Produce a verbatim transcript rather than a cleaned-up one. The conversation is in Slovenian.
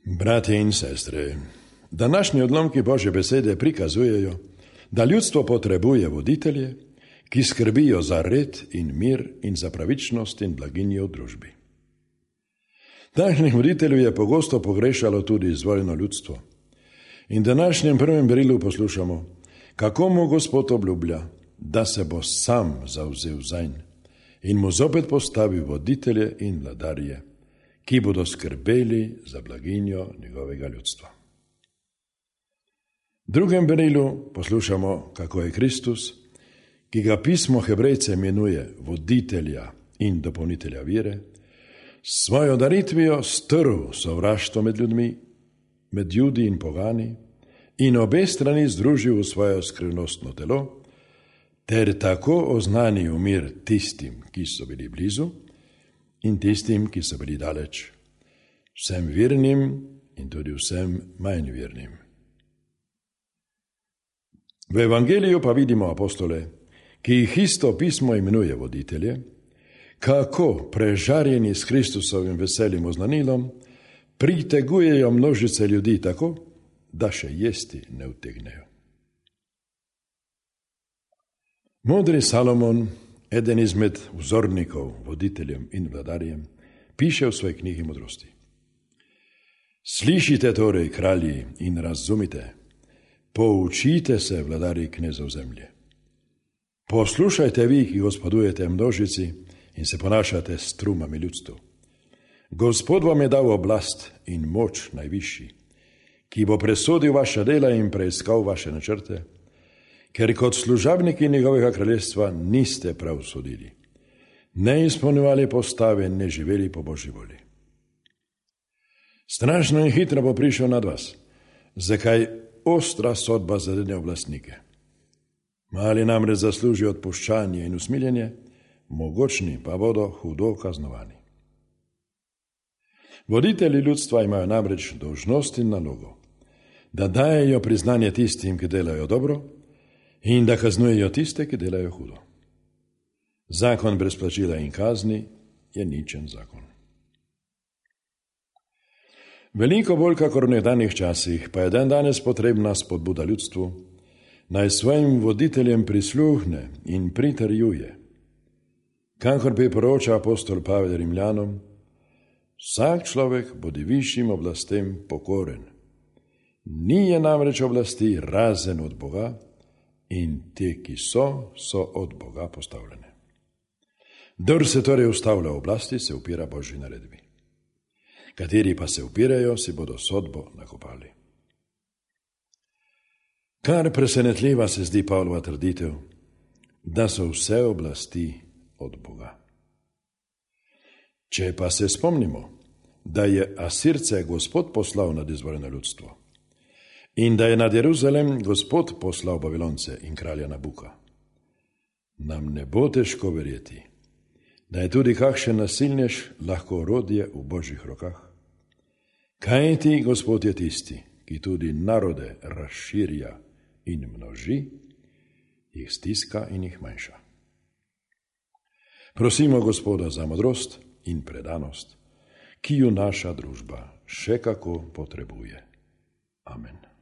Bratje in sestre, današnji odlomki Božje besede prikazujejo, da ljudstvo potrebuje voditelje, ki skrbijo za red in mir in za pravičnost in blaginjo v družbi. Takšnih voditeljev je pogosto pogrešalo tudi izvoljeno ljudstvo. In v današnjem prvem berilu poslušamo, kako mu Gospod obljublja, da se bo sam zavzel zanj in mu zopet postavil voditelje in vladarje, ki bodo skrbeli za blaginjo njegovega ljudstva. V drugem berilu poslušamo, kako je Kristus, ki ga pismo Hebrejce imenuje voditelja in dopolnitelja vere, s svojo daritvijo strl sovraštvo med ljudmi, med Judi in pogani in obe strani združil v svoje skrivnostno telo, ter tako oznanil mir tistim, ki so bili blizu, in tistim, ki so bili daleč, vsem vernim in tudi vsem manj vernim. V evangeliju pa vidimo apostole, ki jih isto pismo imenuje voditelje, kako prežarjeni s Kristusovim veselim oznanilom pritegujejo množice ljudi tako, da še jesti ne utegnejo. Modri Salomon, eden izmed vzornikov voditeljem in vladarjem, piše v svoji knjigi modrosti. Slišite torej, kralji, in razumite, poučite se, vladari knezov zemlje. Poslušajte vi, ki gospodujete množici in se ponašate s trumami ljudstvu. Gospod vam je dal oblast in moč najvišji, ki bo presodil vaša dela in preiskal vaše načrte, ker kot služabniki njegovega kraljestva niste prav sodili, ne izpolnjevali postave, ne živeli po Božji volji. Strašno in hitro bo prišel nad vas, zakaj ostra sodba zadene oblastnike. Mali namreč zaslužijo odpuščanje in usmiljenje, mogočni pa bodo hudo kaznovani. Voditelji ljudstva imajo namreč dolžnost in nalogo, da dajejo priznanje tistim, ki delajo dobro, in da kaznujejo tiste, ki delajo hudo. Zakon brez plačila in kazni je ničen zakon. Veliko bolj kakor v nekdanjih časih pa je dan danes potrebna spodbuda ljudstvu, naj svojim voditeljem prisluhne in pritrjuje. Kakor priporoča apostol Pavel Rimljanom, vsak človek bodi višjim oblastem pokoren. Ni je namreč oblasti razen od Boga in te, ki so, so od Boga postavljene. Kdor se torej ustavlja v oblasti, se upira Božji naredbi. Kateri pa se upirajo, si bodo sodbo nakopali. Kar presenetljiva se zdi Pavlova trditev, da so vse oblasti od Boga. Če pa se spomnimo, da je Asirce Gospod poslal nad izvoljeno ljudstvo in da je nad Jeruzalem Gospod poslal Babilonce in kralja Nabuka, nam ne bo težko verjeti, da je tudi kakšen nasilnež lahko orodje v Božjih rokah. Kajti Gospod je tisti, ki tudi narode razširja in množi, jih stiska in jih manjša. Prosimo Gospoda za modrost in predanost, ki ju naša družba še kako potrebuje. Amen.